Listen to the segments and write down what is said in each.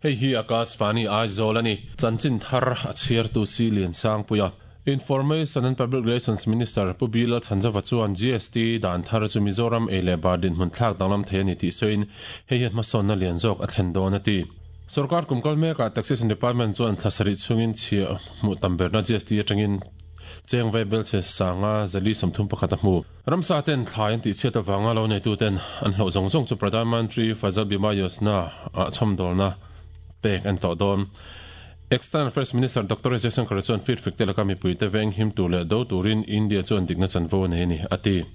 Hei hi Akashvani Aizawl a ni. Chanchin thar a chhiartu Si Liansangpuia. Information and Public Relations Minister Pu Bill Lalchhanzova chuan GST dan thar chu Mizoram ei leh bar dinhmun thlak danglam thei a ni tih sawiin hei hian hmasawnna lian zawk a thlen dawn a ti. Sorkar kum kal mekah Taxation Department chuan thla sarih chhungin chhiah hmuh tam berna GST atangin cheng vai belchhe sanga 431 a hmu. Ramsa ten thlai an tihchhiat avanga lo neituten an hlauh zawng zawng chu Pradhan Mantri Fasal Bima Yojana ah chhawmdawlna pek an tawh dawn. External Affairs Minister Doctor S Jaishankar chuan feedback te laka mipuite veng him tur leh do turin India chuan dikna chanvo a nei a ni, a ti.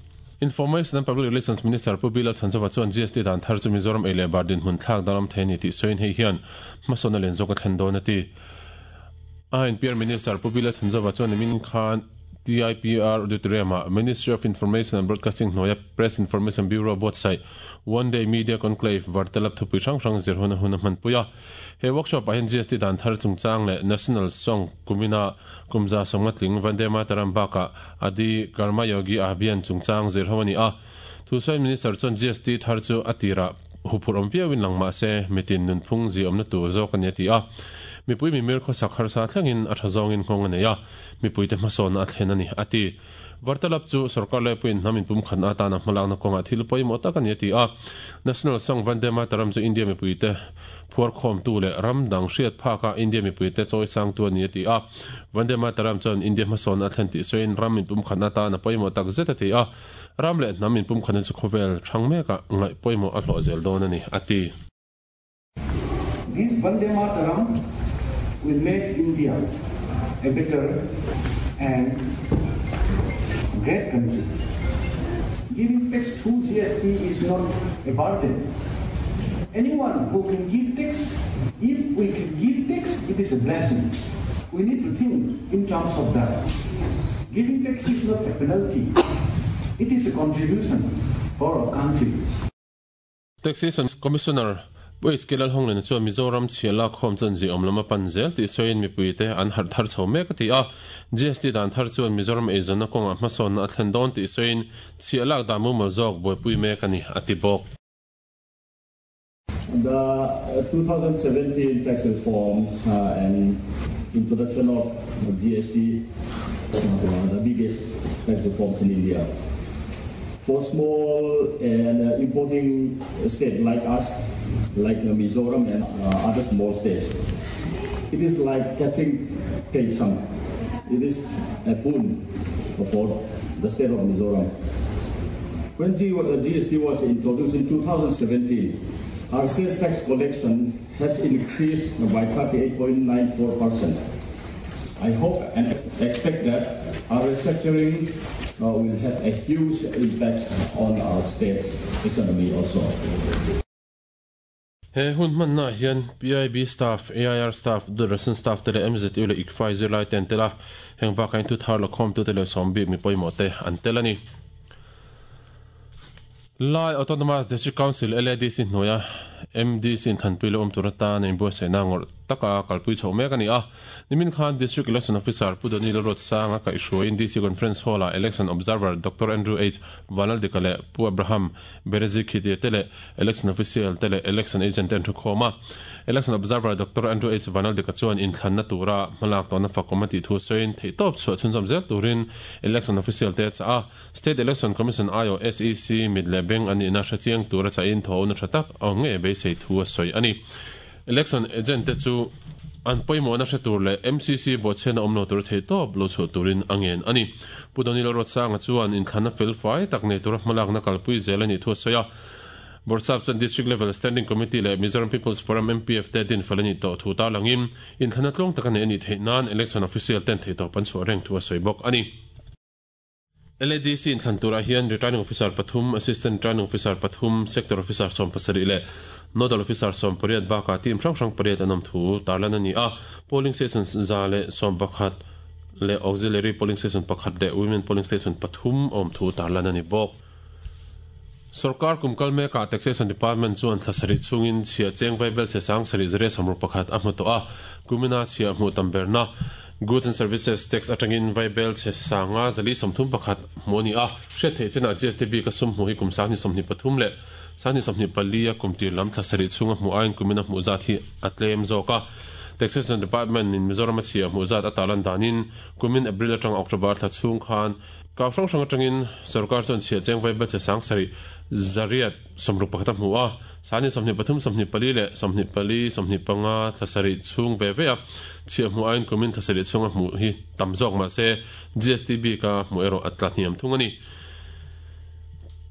Information and Public Relations Minister Pu Bilal Chhanzova chuan GST dan thar chu Mizoram ei leh bar dinhmun thlak danglam thei a ni tih sawiin hei hian hmasawnna lian zawk a thlen dawn a ti. INPR Minister Pu Bilal Chhanzova chuan nimin khan TIPR Auditorium-ah Ministry of Information and Broadcasting hnuaia Press Information Bureau buatsaih One Day Media Conclave Vartalap thupui hrang hrang zir hun a hun a hmanpui a. He workshop-ah hian GST dan thar chungchang leh National Song kumina kum 150 tling Vande Mataram bakah Adi Karma Yogi Abhiyan chungchang zir ho a ni a. Thusawi Minister chuan GST thar chu a tirah huphurh awm viauin lang mah se mitin nunphung ziaawmna tur zawk a ni a ti a. Mipui mimir khawsak harsa thlengin a tha zawngin nghawng a nei a, mipuite hmasawnna a thlen a ni a ti. Vartalap chu sorkar laipuiin hnam inpumkhatna atana hmalakna kawngah thil pawimawh tak a ni a ti a. National Song Vande Mataram chu India mipuite phuarkhawmtu leh ram dang hriat phaka India mipuite chawisangtu a ni a ti a. Vande Mataram chuan India hmasawnna a thlen tih sawiin ram inpumkhatna atana pawimawh tak zet a ti a. Ram leh hnam inpumkhatna chu khawvel hrang mekah ngaih pawimawh a hlawh zel dawn a ni a ti. This Vande Mataram will make India a better and great country. Giving tax through GST is not a burden. Anyone who can give tax, if we can give tax, it is a blessing. We need to think in terms of that. Giving tax is not a penalty. It is a contribution for our country. Taxation Commissioner Pu HK Lalhawnglena chuan Mizoram chhia lakkhawm chuan ziaawm lam a pan zel tih sawiin mipuite an harh thar chho mek a ti a. GST dan thar chuan Mizoram eizawnna kawngah hmasawnna a thlen dawn tih sawiin chhia lak dan mumal zawk buaipui mek a ni, a ti bawk. The 2017 tax reforms and introduction of GST, the biggest tax reforms in India. For small and importing state like us, like Mizoram and other small states, it is like catching some. It is a boon for the state of Mizoram. When GST was introduced in 2017, our sales tax collection has increased by 38.94%. I hope and expect that our restructuring will have a huge impact on our state's economy also. He hun hmannaah hian PIB staff, AIR staff, Doordarshan staff te leh MZU leh ICFAI zirlai te an tel a, heng bakah hian thuthar lakhawmtute leh sawmbik mi pawimawh te an tel a ni. Lai Autonomous District Council, LADC, hnuaia MDC inthanpui lo awm tur atan a inbuatsaihna ngawrh taka kalpui chhoh mek a ni a. Nimin khan District Election Officer Pu Doni Lalruatsanga kaihhruaiin DC Conference Hall-ah Election Observer Doctor Andrew H. Vanlaldika leh Pu Abraham Berezikhitia te leh Election Official te leh Election Agent te an thukhawm a. Election Observer Doctor Andrew H. Vanaldika chuan inthlanna tura hmalak tawhna fakawm a tih thu sawiin theihtawp chhuah chhunzawm zel turin Election Official te a chah a. State Election Commission aiawh SEC mit leh beng an nihna hre chiang tura chahin thawhna tha tak a awm ngei beisei thu a sawi a ni. Election Agent te chu an pawimawhna hre tur leh MCC bawhchhiatna awm lo tura theihtawp lo chhuah turin a ngen a ni. Pu Donny Lalruatsanga chuan inthlanna fel fai tak nei tura hmalakna kalpui zel a nih thu a sawi a. Bawrhsap chuan District Level Standing Committee leh Mizoram People's Forum, MPF, te dinfel a nih tawh thu tarlangin inthlanna tluang taka neih a nih theih nan Election Official ten theihtawp an chhuah reng thu a sawi bawk a ni. LADC inthlan turah hian Returning Officer pathum, Assistant Returning Officer pathum, Sector Officer 17 leh Nodal Officer 18 bakah team hrang hrang pariat an awm thu tarlan a ni a. Polling Station 111 leh Auxiliary Polling Station pakhat leh Women Polling Station pathum a awm thu tarlan a ni bawk. Sorkar kum kal mekah Taxation Department chuan thla sarih chhungin chhiah cheng vaibel chhe sang sarih zaria sawmruk pakhat a hmu tawh a, kumina chhiah hmuh tam berna. Goods and Services Tax atangin vaibelchhe sanga 431 hmuh a ni a. Hriat theih chinah GST bika sum hmuh hi kum 2023 leh 2024 a kum tir lam thla sarih chhunga hmuh aiin kumina hmuh zat hi a tlem zawk a. Taxation Department in Mizoram a chhia hmuh zat a tarlan danin kumin April atanga October thla chhung khan kau hrang hrang atangin sorkar chuan chhia cheng vaibelchhe 7 861 a hmu a. 23 24 leh 24 25 thla sarih chhung ve ve a chhiah hmuh aiin kumin thla sarih chhunga hmuh hi tam zawk mah se GST bika hmuh erawh a tla hniam thung a ni.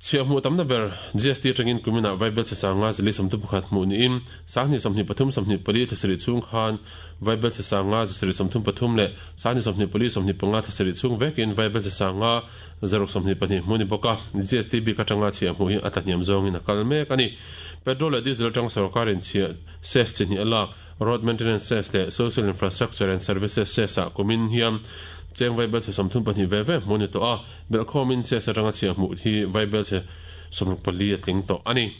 Chhiah hmuh tamna ber GST atangin kuminah vaibelchhe sanga 431 hmuh niin 23 24 thla sarih chhung khan vaibelchhe sanga 733 leh 24 25 thla sarih chhung vekin vaibelchhe sanga 622 hmuh a ni bawk a, GST bik atanga chhiah hmuh hi a tlahniam zawngin a kal mek a ni. Petrol leh diesel atang sorkarin chhiah cess chi hnih a lak, Road Maintenance Cess leh Social Infrastructure and Services Cess ah kumin hian cheng vaibelchhe 34 ve ve hmuh a ni tawh a, belhkhawmin cess atanga chhiah hmuh hi vaibelchhe 64 a tling tawh a ni.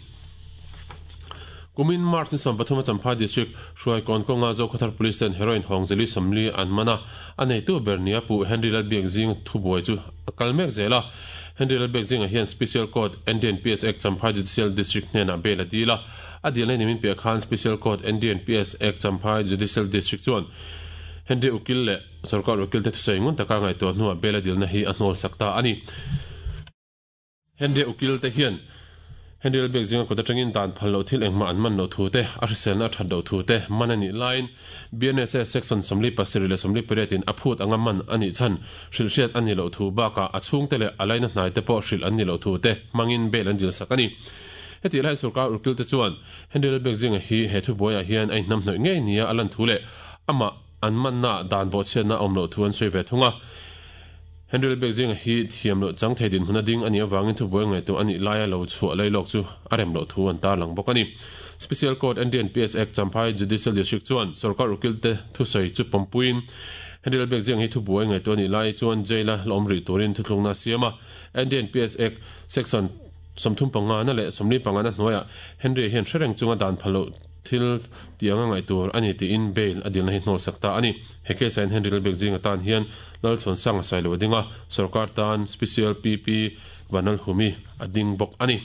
Kumin March ni 13 a Champhai District Hruaikawn kawnga Zokhawthar Police ten heroin hawng zeli 40 an man a, a neitu ber nia Pu Henry Lalbiakzing thubuai chu a kal mek zel a. Henry Lalbiakzinga hian Special Court NDNPS Act Champhai Judicial District hnenah bail a dil a, a dilna nimin piah khan Special Court NDNPS Act Champhai Judicial District chuan Henry Ukil leh Sorkar Ukil te thusawi ngun taka ngaihtuah hnuah bail a dilna hi a hnawl sak ta a ni. Henry Ukil te hian Henry Lalbiak zinga kut atangin dan phal loh thil engmah an man loh thu te, a hriselna a that loh thu te man a nih laiin BNSS Section 47 leh 48 in a phut anga man a nih chhan hrilhhriat a nih loh thu bakah a chhungte leh a laina hnai te pawh hrilh an nih loh thu te hmangin bail an dilsak a ni. Hetih lai sorkar Ukil te chuan Henry Lalbiak zinga hi he thubuaiah hian a inhnamhnawih ngei nia a lan thu leh amah an manna dan bawhchhiatna a awm loh thu an sawi ve thung a. Henry Lalbiak zinga hi thiam loh chang thei dinhmun a ding a nih avangin thubuai ngaihtuah a nih laia lo chhuah lei lawk chu a rem loh thu an tarlang bawk a ni. Special Court NDNPS Act Champhai Judicial District chuan sorkar ukilte thusawi chu pawmpuiin Henry Lalbiak zinga hi thubuai ngaihtuah a nih lai chuan jail-a la awm rih turin thuthlungna a siam a. NDNPS Act Section 35 na leh 45 na hnuaiah Henry hian hre reng chunga dan phal loh thil tih anga ngaih tur a ni tiin bail a dilna hi hnawlsak ta a ni. He case-ah hian Henry Lalbiak zinga tan hian Lalchhuansanga Sailo a ding a, sorkar tan Special PP Vanlalhumi a ding bawk a ni.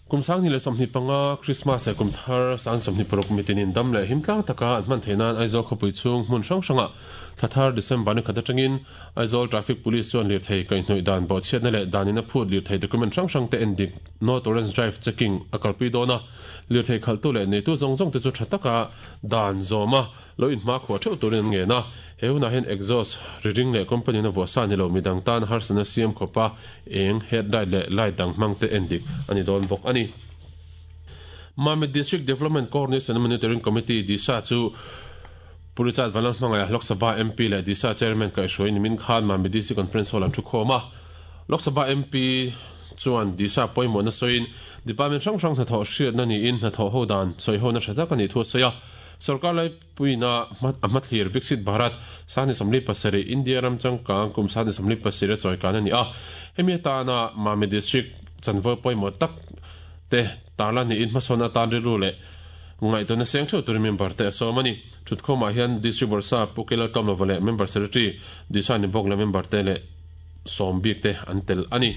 Kum 2025 Krismas leh kum thar 2026 mitinin dam leh him tlang taka an hman theih nan Aizawl khawpui chhung hmun hrang hrangah thla thar December ni khat atangin Aizawl Traffic Police chuan lirthei kaihhnawih dan bawhchhiatna leh danin a phut lirthei document hrang hrangte endik No Tolerance Drive Checking a kalpui dawn a, lirthei khalhtu leh neitu zawng zawngte chu tha taka dan zawm a lo inhmakhuah theuh turin an ngen a, he hunah hian exhaust ri ring leh company in a vuah sa ni lo midang tan harsatna siam khawpa eng, headlight leh light dang hmang te endik a ni dawn bawk a ni. Mamit District Development Coordination and Monitoring Committee, DISA, chu Pu Richard Vanlalhmangaia, Lok Sabha MP leh DISA Chairman kaihhruai nimin khan Mamit DC Conference Hall an thu khawm a. Lok Sabha MP chuan DISA pawimawhna sawiin Department hrang hrang hnathawh hriatna niin hnathawh ho dan sawihona tha tak a nih thu a sawi a. Sorkar laipuina a hmathlir Viksit Bharat 2047, India ram changkang kum 2047 a chawikan a ni a. Hemi atana Mami District chanvo pawimawh tak te tarlan niin hmasawn atan rilru leh ngaihtuahna seng theuh turin member te a sawm a ni. Thutkhawmah hian District Bawrhsap Pu Kelal Tlawmlova leh Member Secretary Disha Nibawk leh member te leh sawm bik te an tel a ni.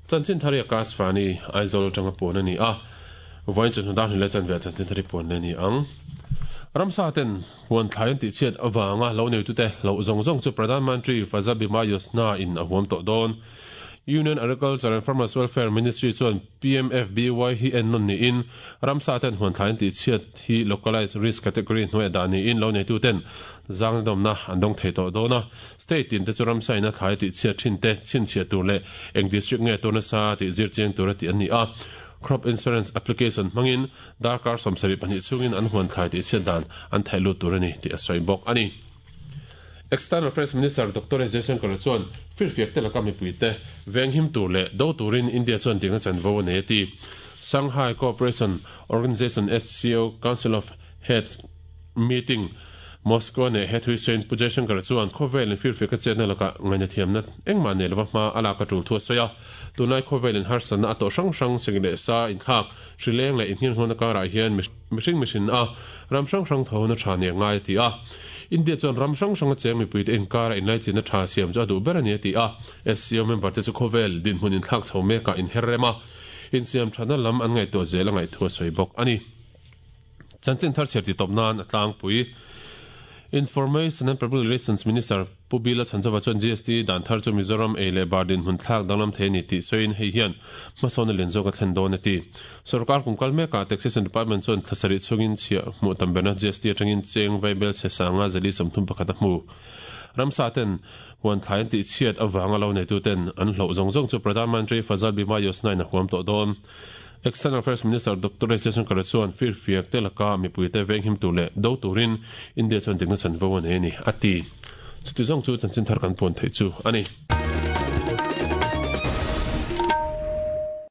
Chanchin thar hi Akash Vani, Aizawl atanga puan a ni a, vawiin chawhnu dar hnih leh chanve ah chanchin thar hi puan leh a ni ang. Ramsa ten huan thlai an tihchhiat avanga lo neitute hlauh zawng zawng chu Pradhan Mantri Fasal Bima Yojna in a huam tawh dawn. Union Agriculture and Farmers Welfare Ministry chuan PMFBY hi en nawn niin ramsa ten huan thlai an tihchhiat hi localised risk category hnuaiah dah niin lo neituten zangna dawmna an dawng thei tawh dawn a. State tin te chu ramsa ina thlai tihchhiat thin te chhinchhiah tur leh eng district nge tur nasa tih zir chiang tura tih an ni a. Crop Insurance Application hmangin darkar 72 chhungin an huan thlai tihchhiat dan an theih lut tur a ni tih a sawi bawk a ni. External Affairs Minister Doctor S Jaishankar chuan firfiak te laka mipuite venghim tur leh do turin India chuan dikna chanvo a nei a ti. Shanghai Cooperation Organization, SCO, Council of Heads meeting. Moscow ne he thui sawiin Pu Jaishankar chuan khawvel in firfiak a chetna lakah ngaihnathiamna engmah nei lova hma a lak a tul thu a sawi a. Tunlai khawvel in harsatna a tawh hrang hrang sing leh sa inthlak, hrileng leh innghenghawna karah hian mihring mihrin a ram hrang hrang tho na tha nia ngai a ti a. India chuan ram hrang hranga cheng mipuite inkara inlaichinna tha siam chu a duh ber a ni a ti a. SCO member te chu khawvel dinhmun inthlak chho mekah inher rem a, insiam thatna lam an ngaihtuah zel a ngaihthu a sawi bawk a ni. Chanchin thar chhiar titawp nan a tlangpui. Information and Public Relations Minister Pu Bila Chhanchova chuan GST dan thar chu Mizoram ei leh bar dinhmun thlak danglam thei a ni tih sawiin hei hian hmasawn a len zawk a thlen dawn a ti. Sorkar kum kal mekah Taxation Department chuan thla sarih chhungin chhiah hmuh tam berna GST atangin cheng vaibel chhe sanga zali 31 a hmu. Ramsa ten huan thlai an tihchhiat avanga lo neituten an hloh zawng zawng chu Pradhan Mantri Fazal Bima Yojana in a huam tawh dawn. External Affairs Minister Doctor S Jaishankar chuan firfiak te laka mipuite venghim tur leh do turin India chuan dikna chanvo a nei a ni, a ti. Chuti zawng chu chanchin thar kan puan theih chu a ni.